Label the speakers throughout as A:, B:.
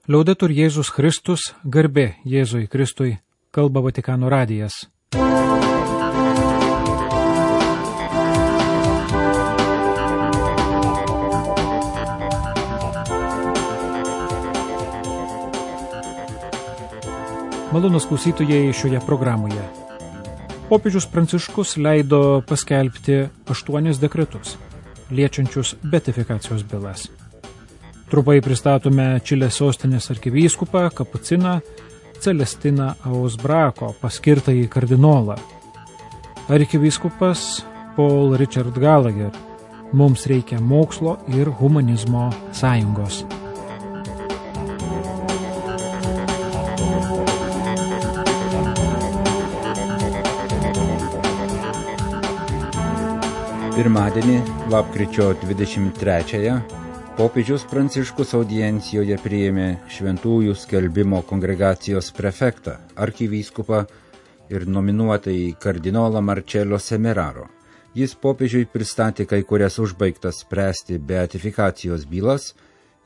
A: Liaudetur Jėzus Kristus, garbė Jėzui Kristui, kalba Vatikano radijas. Malonūs klausytojai šioje programoje. Popiežius Pranciškus leido paskelbti 8 dekretus, liečiančius beatifikacijos bylas. Trumpai pristatome Čilės sostinės arkivyskupą kapuciną Celestiną Ausbrako, paskirtąjį kardinolą. Arkivyskupas Paul Richard Gallagher. Mums reikia mokslo ir humanizmo sąjungos.
B: Pirmadienį, lapkričio 23-ąją, popiežius Pranciškus audiencijoje priėmė Šventųjų skelbimo kongregacijos prefektą, arkivyskupą ir nominuotąjį kardinolą Marcello Semeraro. Jis popiežiui pristatė kai kurias užbaigtas spręsti beatifikacijos bylas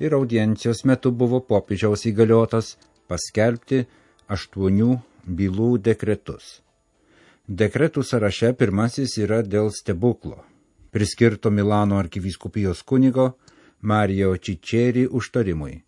B: ir audiencijos metu buvo popiežiaus įgaliotas paskelbti 8 bylų dekretus. Dekretų sąraše pirmasis yra dėl stebuklo, priskirto Milano arkivyskupijos kunigo Mario Ciccieri užtarimui.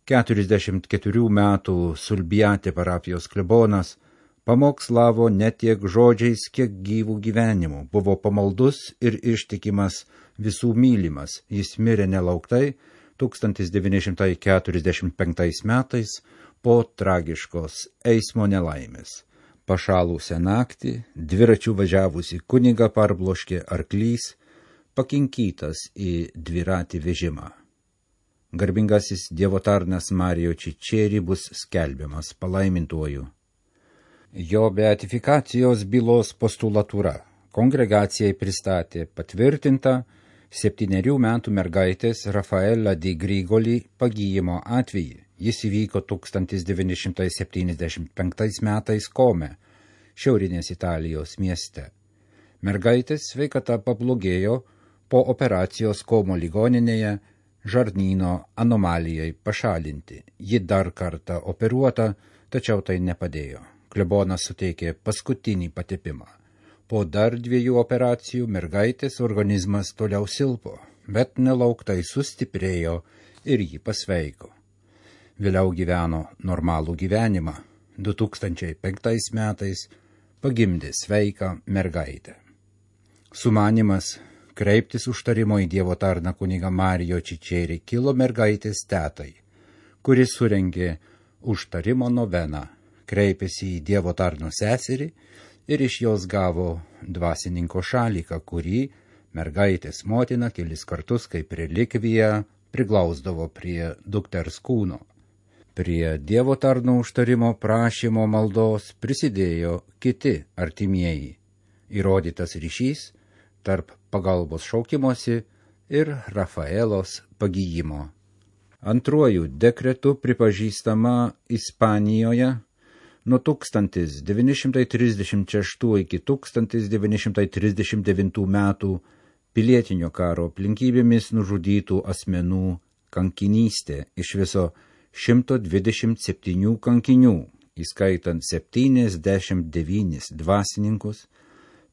B: 44 metų Sulbiate parapijos klebonas pamokslavo ne tiek žodžiais, kiek gyvų gyvenimų, buvo pamaldus ir ištikimas visų mylimas. Jis mirė nelauktai 1945 metais po tragiškos eismo nelaimės. Pašalusią naktį, dviračių važiavusi kunigą parbloškė arklys, pakinkytas į dviratį vežimą. Garbingasis Dievo tarnas Mario Ciccieri bus skelbiamas palaimintuoju. Jo beatifikacijos bylos postulatūra kongregacijai pristatė patvirtintą 7 metų mergaitės Rafaela di Grigoli pagyjimo atvejį. Jis įvyko 1975 metais Kome, šiaurinės Italijos mieste. Mergaitės sveikata pablogėjo po operacijos Komo ligoninėje žarnyno anomalijai pašalinti. Ji dar kartą operuota, tačiau tai nepadėjo. Klebonas suteikė paskutinį patepimą. Po dar 2 operacijų mergaitės organizmas toliau silpo, bet nelauktai sustiprėjo ir ji pasveiko. Vėliau gyveno normalų gyvenimą. 2005 metais pagimdė sveiką mergaitę. Sumanimas kreiptis užtarimo į Dievo tarną kunigą Mario Ciccieri kilo mergaitės tetai, kuris surengė užtarimo noveną, kreipėsi į Dievo tarno seserį ir iš jos gavo dvasininko šaliką, kurį mergaitės motina kelis kartus kaip relikviją priglausdavo prie dukters kūno. Prie Dievo tarno užtarimo prašymo maldos prisidėjo kiti artimieji. Įrodytas ryšys tarp pagalbos šaukimosi ir Rafaelos pagyjimo. Antruoju dekretu pripažįstama Ispanijoje nuo 1936 iki 1939 metų pilietinio karo aplinkybėmis nužudytų asmenų kankinystė, iš viso 127 kankinių, įskaitant 79 dvasininkus,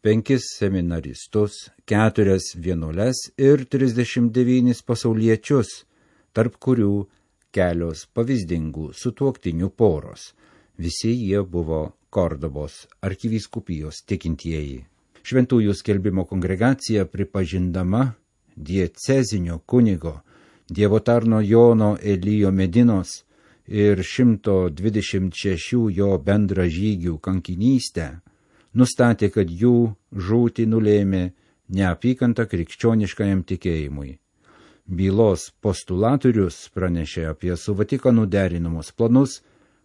B: 5 seminaristus, 4 vienuoles ir 39 pasauliečius, tarp kurių kelios pavyzdingų sutuoktinių poros. Visi jie buvo Kordobos arkivyskupijos tikintieji. Šventųjų skelbimo kongregacija pripažindama diecezinio kunigo Dievo tarno Jono Elijo Medinos ir 126 jo bendražygių kankinystę, nustatė, kad jų žūtį nulėmė neapykanta krikščioniškajam tikėjimui. Bylos postulatorius pranešė apie su Vatikanu derinamus planus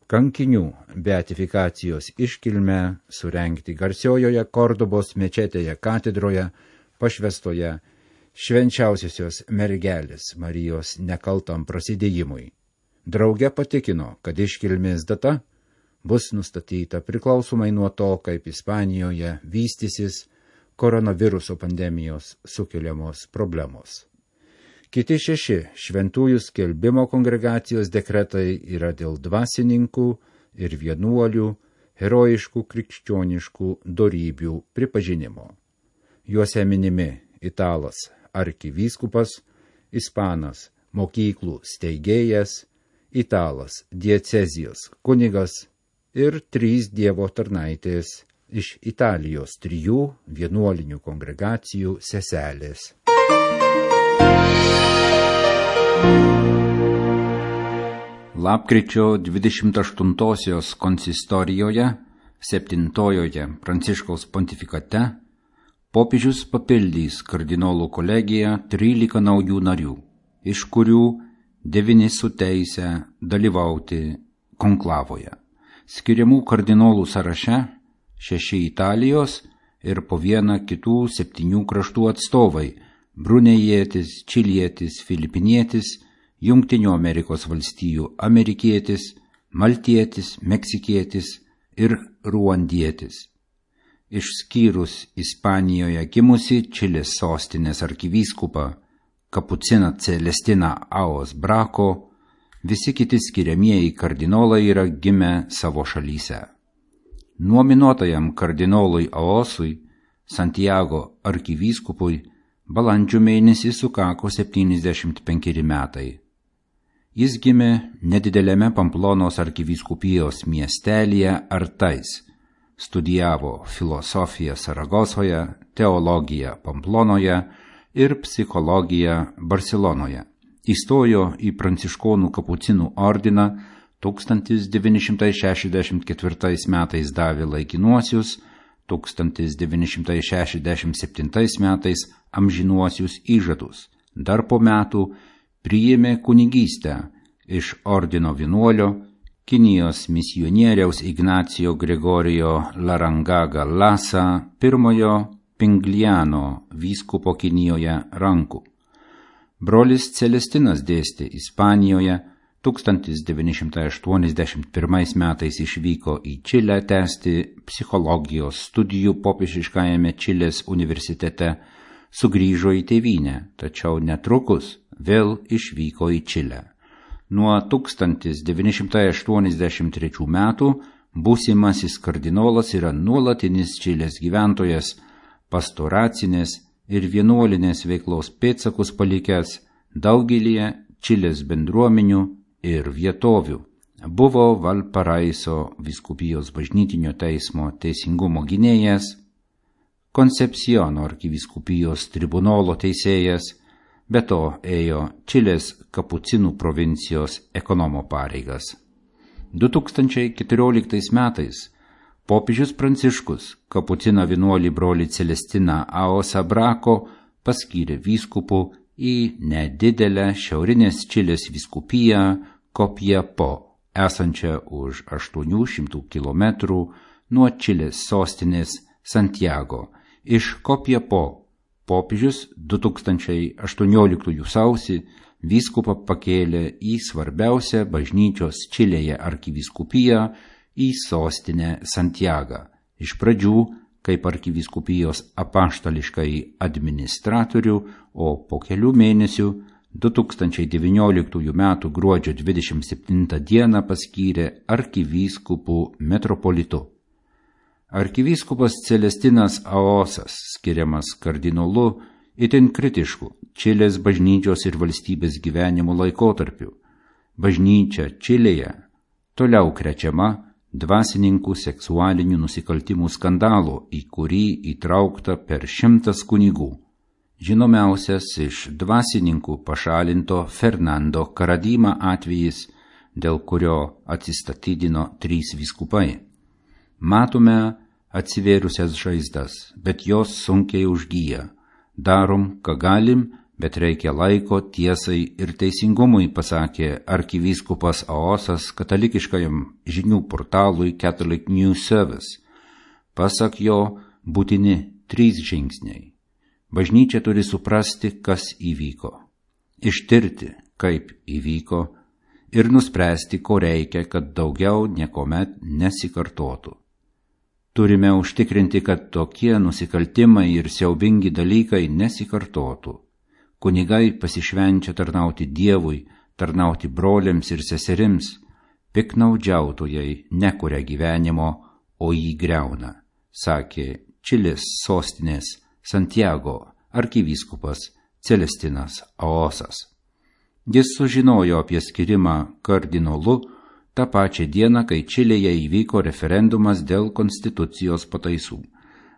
B: kankinių beatifikacijos iškilmę surengti garsiojoje Kordobos mečetėje katedroje pašvestoje švenčiausiosios mergelės Marijos nekaltam prasidėjimui. Drauge patikino, kad iškilmės data bus nustatyta priklausomai nuo to, kaip Ispanijoje vystysis koronaviruso pandemijos sukeliamos problemos. Kiti 6 šventųjų skelbimo kongregacijos dekretai yra dėl dvasininkų ir vienuolių herojiškų krikščioniškų dorybių pripažinimo. Juose minimi italas arkivyskupas, ispanas mokyklų steigėjas, italas diecezijos kunigas ir 3 Dievo tarnaitės iš Italijos 3 vienuolinių kongregacijų seselės. Lapkričio 28-osios konsistorijoje, 7-ojoje Pranciškaus pontifikate, popiežius papildys kardinolų kolegiją 13 naujų narių, iš kurių 9 su teise dalyvauti konklavoje. Skiriamų kardinolų sąraše 6 Italijos ir po 1 kitų 7 kraštų atstovai – brunėjietis, čilietis, filipinietis, Jungtinių Amerikos valstijų amerikietis, maltietis, meksikietis ir ruandietis. Išskyrus Ispanijoje gimusi Čilės sostinės arkivyskupą Kapuciną Celestiną Aos Brako, visi kiti skiriamieji kardinolai yra gimę savo šalyse. Nominuotajam kardinolui Aosui, Santiago arkivyskupui, balandžio mėnesį sukako 75 metai. Jis gimė nedidelėme Pamplonos arkivyskupijos miestelyje Artais, studijavo filosofiją Saragosoje, teologiją Pamplonoje ir psichologiją Barselonoje. Įstojo į pranciškonų kapucinų ordiną, 1964 metais davė laikinuosius, 1967 metais amžinuosius įžadus. Dar po metų priėmė kunigystę iš ordino vienuolio, Kinijos misionieriaus Ignacio Gregorijo Larangaga Lasa pirmojo Pingliano vyskupo Kinijoje rankų. Brolis Celestinas dėstė Ispanijoje, 1981 metais išvyko į Čilę tęsti psichologijos studijų popiežiškajame Čilės universitete, sugrįžo į tėvynę, tačiau netrukus vėl išvyko į Čilę. Nuo 1983 metų būsimasis kardinolas yra nuolatinis Čilės gyventojas, pastoracinės ir vienuolinės veiklos pėdsakus palikęs daugelį Čilės bendruomenių ir vietovių. Buvo Valparaiso vyskupijos bažnytinio teismo teisingumo gynėjas, Koncepciono arkivyskupijos tribunolo teisėjas, be to ėjo Čilės kapucinų provincijos ekonomo pareigas. 2014 metais popiežius Pranciškus kapucino vienuolį brolį Celestiną Aosą Brako paskyrė vyskupu į nedidelę šiaurinės Čilės vyskupiją Copiapó, esančią už 800 km nuo Čilės sostinės Santiago. Iš Copiapó popiežius 2018 sausį vyskupą pakėlė į svarbiausią bažnyčios Čilėje arkivyskupiją į sostinę Santiagą. Iš pradžių kaip arkivyskupijos apaštališkąjį administratorių, o po kelių mėnesių 2019 m. gruodžio 27 d. paskyrė arkivyskupų metropolitu. Arkivyskupas Celestinas Aosas, skiriamas kardinolu, itin kritišku Čilės bažnyčios ir valstybės gyvenimo laikotarpiu. Bažnyčia Čilėje toliau krečiama dvasininkų seksualinių nusikaltimų skandalo, į kurį įtraukta per 100 kunigų. Žinomiausias iš dvasininkų pašalinto Fernando Karadima atvejis, dėl kurio atsistatydino 3 vyskupai. Matome atsivėrusias žaizdas, bet jos sunkiai užgyja. Darom, ką galim, bet reikia laiko tiesai ir teisingumui, pasakė arkivyskupas Aosas katalikiškajam žinių portalui Catholic News Service. Pasak jo, būtini 3 žingsniai. Bažnyčia turi suprasti, kas įvyko, ištirti, kaip įvyko ir nuspręsti, ko reikia, kad daugiau niekuomet nesikartotų. Turime užtikrinti, kad tokie nusikaltimai ir siaubingi dalykai nesikartotų. kunigai pasišvenčia tarnauti Dievui, tarnauti broliams ir seserims, piknaudžiautojai nekuria gyvenimo, o jį griauna, sakė Čilės sostinės Santiago arkivyskupas Celestinas Aosas. Jis sužinojo apie skirimą kardinolu tą pačią dieną, kai Čilėje įvyko referendumas dėl konstitucijos pataisų.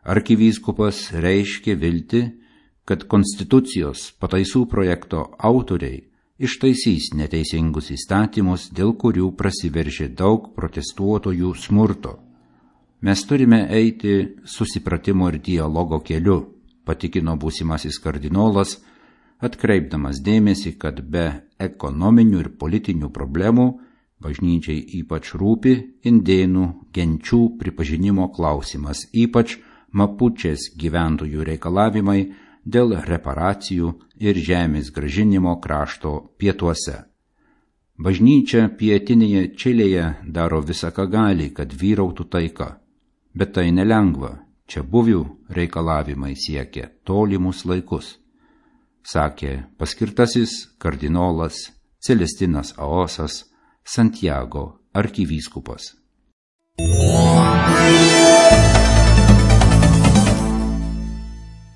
B: Arkivyskupas reiškė viltį, kad konstitucijos pataisų projekto autoriai ištaisys neteisingus įstatymus, dėl kurių prasiveržė daug protestuotojų smurto. Mes turime eiti susipratimo ir dialogo keliu, patikino būsimasis kardinolas, atkreipdamas dėmesį, kad be ekonominių ir politinių problemų bažnyčiai ypač rūpi indėnų genčių pripažinimo klausimas, ypač mapučės gyventojų reikalavimai dėl reparacijų ir žemės grąžinimo krašto pietuose. Bažnyčia pietinėje Čilėje daro visą, ką gali, kad vyrautų taika, bet tai nelengva, čia buvių reikalavimai siekia tolimus laikus, sakė paskirtasis kardinolas Celestinas Aosas, Santiago arkivyskupas.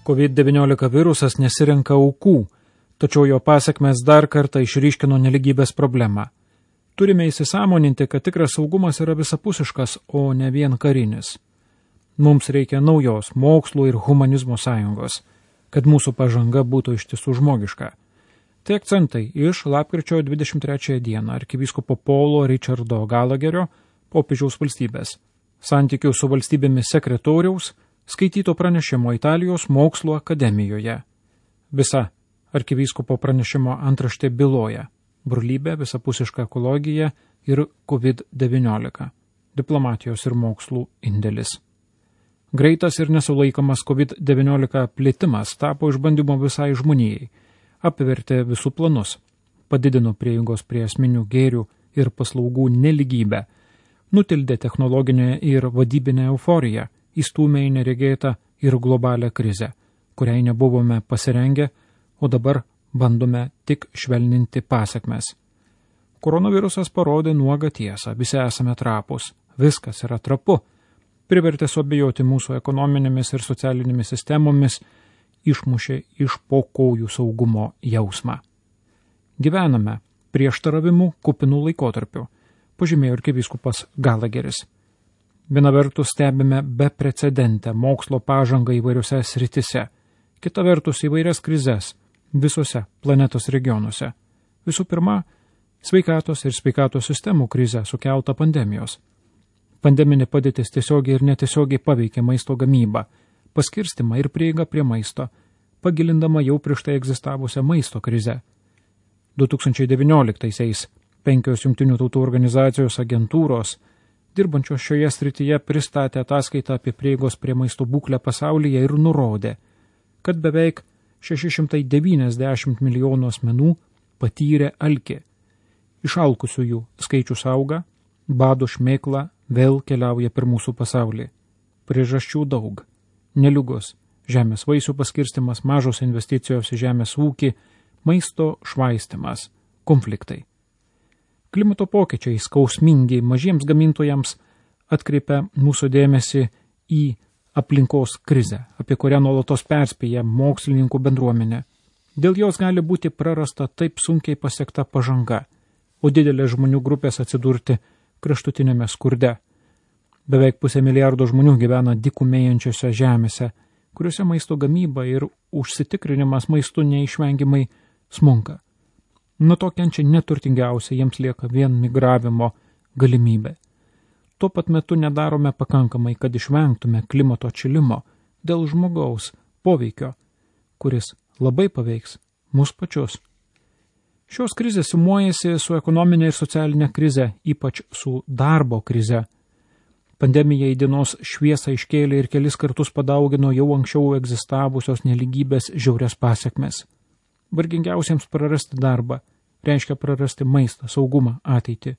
A: COVID-19 virusas nesirenka aukų, tačiau jo pasekmes dar kartą išryškino nelygybės problemą. Turime įsisąmoninti, kad tikras saugumas yra visapusiškas, o ne vien karinis. Mums reikia naujos mokslo ir humanizmo sąjungos, kad mūsų pažanga būtų iš tiesų žmogiška. Tai akcentai iš lapkričio 23 dieną arkivyskupo Paulo Richardo Gallagherio, popiežiaus valstybės, santykių su valstybėmis sekretoriaus, skaityto pranešimo Italijos mokslo akademijoje. Visa arkivyskupo pranešimo antraštė byloja brolybė, visapusiška ekologija ir COVID-19, diplomatijos ir mokslų indėlis. Greitas ir nesulaikomas COVID-19 plitimas tapo išbandymo visai žmonijai, apvertė visų planus, padidino prieigos prie esminių gėrių ir paslaugų nelygybę, nutildė technologinę ir vadybinę euforiją, įstūmė į neregėtą ir globalią krizę, kuriai nebuvome pasirengę, o dabar bandome tik švelninti pasekmes. Koronavirusas parodė nuogą tiesą, visi esame trapūs, viskas yra trapu, privertė suabejoti mūsų ekonominėmis ir socialinėmis sistemomis, išmušė iš po kojų saugumo jausmą. Gyvename prieštaravimų kupinų laikotarpiu, pažymėjo arkivyskupas Gallagheris. Viena vertus stebime beprecedentę mokslo pažangą įvairiose sritise, kita vertus įvairias krizes visose planetos regionuose. Visų pirma, sveikatos ir sveikatos sistemų krizę sukelta pandemijos. Pandeminė padėtis tiesiogiai ir netiesiogiai paveikė maisto gamybą, paskirstimą ir prieigą prie maisto, pagilindama jau prieš tai egzistavusią maisto krizę. 2019-aisiais 5 Jungtinių tautų organizacijos agentūros, dirbančios šioje srityje, pristatė ataskaitą apie prieigos prie maisto būklę pasaulyje ir nurodė, kad beveik 690 milijonų asmenų patyrė alkį. Išalkusiųjų skaičius auga, bado šmėkla vėl keliauja per mūsų pasaulį. Priežasčių daug. Neliugos, žemės vaisių paskirstimas, mažos investicijos į žemės ūkį, maisto švaistimas, konfliktai. Klimato pokyčiai skausmingi mažiems gamintojams atkreipia mūsų dėmesį į aplinkos krizę, apie kurią nuolatos perspėja mokslininkų bendruomenė. Dėl jos gali būti prarasta taip sunkiai pasiekta pažanga, o didelė žmonių grupės atsidurti kraštutinėme skurde. Beveik 500 milijardo žmonių gyvena dykumėjančiose žemėse, kuriuose maisto gamyba ir užsitikrinimas maistu neišvengiamai smunka. Nuo to kenčia neturtingiausia, jiems lieka vien migravimo galimybė. Tuo pat metu nedarome pakankamai, kad išvengtume klimato atšilimo dėl žmogaus poveikio, kuris labai paveiks mus pačius. Šios krizės sumuojasi su ekonominė ir socialinė krize, ypač su darbo krize. Pandemija į dienos šviesą iškėlė ir kelis kartus padaugino jau anksčiau egzistavusios nelygybės žiaurias pasekmes. Vargingiausiems prarasti darbą reiškia prarasti maistą, saugumą, ateitį.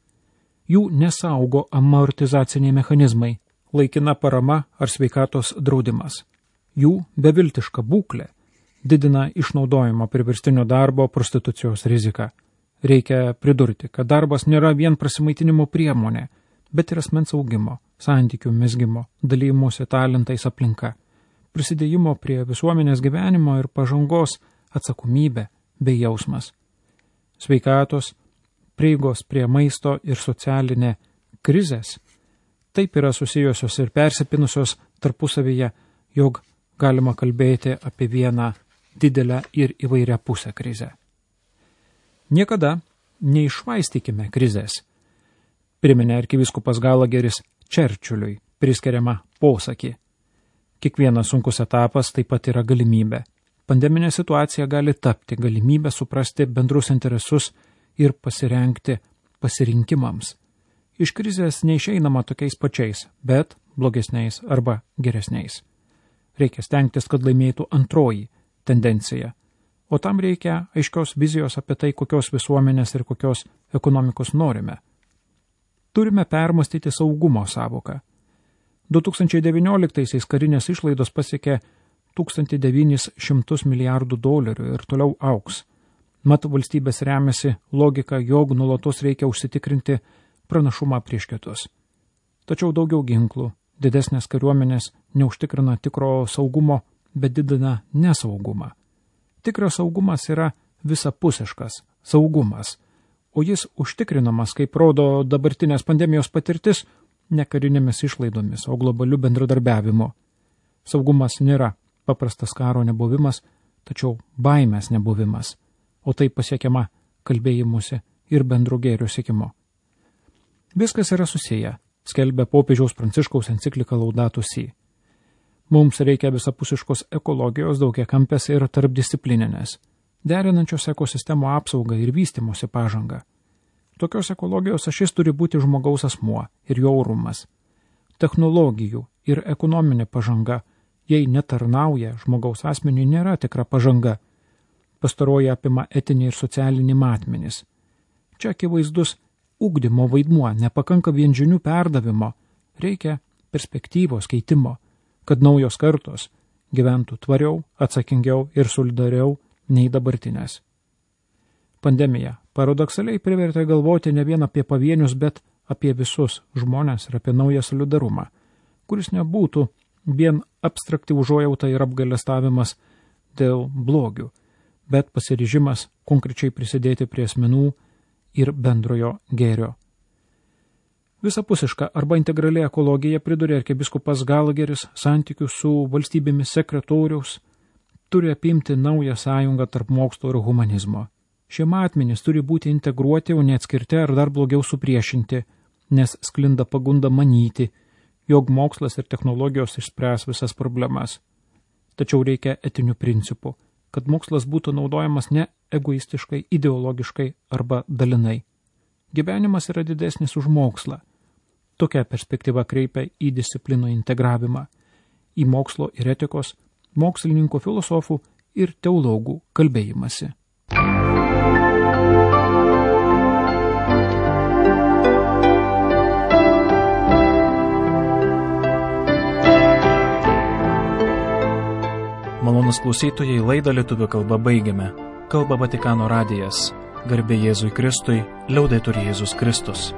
A: Jų nesaugo amortizaciniai mechanizmai, laikina parama ar sveikatos draudimas. Jų beviltiška būklė didina išnaudojimo priverstinio darbo prostitucijos riziką. Reikia pridurti, kad darbas nėra vien prasimaitinimo priemonė, bet ir asmens augimo, santykių mezgimo, dalymosi talentais aplinka, prisidėjimo prie visuomenės gyvenimo ir pažangos atsakomybė bei jausmas. Sveikatos, prieigos prie maisto ir socialinė krizės taip yra susijusios ir persipinusios tarpusavyje, jog galima kalbėti apie vieną didelę ir įvairią pusę krizę. Niekada neišvaistykime krizės, priminė arkivyskupas Galageris Čerčiuliui priskiriamą posakį. Kiekvienas sunkus etapas taip pat yra galimybė. Pandeminė situacija gali tapti galimybę suprasti bendrus interesus ir pasirengti pasirinkimams. Iš krizės neišeinama tokiais pačiais, bet blogesniais arba geresniais. Reikia stengtis, kad laimėtų antroji tendencija, o tam reikia aiškios vizijos apie tai, kokios visuomenės ir kokios ekonomikos norime. Turime permastyti saugumo savoką. 2019 karinės išlaidos pasiekė $1,900 milijardų ir toliau augs. Mat valstybės remiasi logika, jog nuolatos reikia užsitikrinti pranašumą prieš kitus. Tačiau daugiau ginklų, didesnės kariuomenės neužtikrina tikro saugumo, bet didina nesaugumą. Tikras saugumas yra visapusiškas saugumas, o jis užtikrinamas, kaip rodo dabartinės pandemijos patirtis, ne karinėmis išlaidomis, o globaliu bendradarbiavimu. Saugumas nėra paprastas karo nebuvimas, tačiau baimės nebuvimas, o tai pasiekiama kalbėjimuose ir bendro gėrio siekimo. Viskas yra susiję, skelbia popiežiaus Pranciškaus enciklika Laudato Si. Mums reikia visapusiškos ekologijos, daugiakampės ir tarpdisciplininės, derinančios ekosistemų apsaugą ir vystymosi pažangą. Tokios ekologijos ašis turi būti žmogaus asmuo ir jo orumas. Technologijų ir ekonominė pažanga, jei netarnauja žmogaus asmeniui, nėra tikra pažanga. Pastaroji apima etinį ir socialinį matmenis. Čia akivaizdus ugdymo vaidmuo, nepakanka vien žinių perdavimo, reikia perspektyvos keitimo, kad naujos kartos gyventų tvariau, atsakingiau ir solidariau nei dabartinės. Pandemija paradoksaliai privertė galvoti ne vien apie pavienius, bet apie visus žmonės ir apie naują solidarumą, kuris nebūtų vien abstrakti užuojauta ir apgailestavimas dėl blogių, bet pasiryžimas konkrečiai prisidėti prie asmenų ir bendrojo gėrio. Visapusiška arba integrali ekologija, pridurė arkivyskupas Galageris, santykių su valstybėmis sekretoriaus, turi apimti naują sąjungą tarp mokslo ir humanizmo. Šie matmenys turi būti integruoti, o neatskirti ar dar blogiau supriešinti, nes sklinda pagunda manyti, jog mokslas ir technologijos išspręs visas problemas. Tačiau reikia etinių principų, kad mokslas būtų naudojamas ne egoistiškai, ideologiškai arba dalinai. Gyvenimas yra didesnis už mokslą. Tokia perspektyva kreipia į disciplinų integravimą, į mokslo ir etikos, mokslininkų, filosofų ir teologų kalbėjimąsi.
C: Malonus klausytojai, laidą lietuvių kalba baigiame. Kalba Vatikano radijas. Garbė Jėzui Kristui, liaudetur Jėzus Kristus.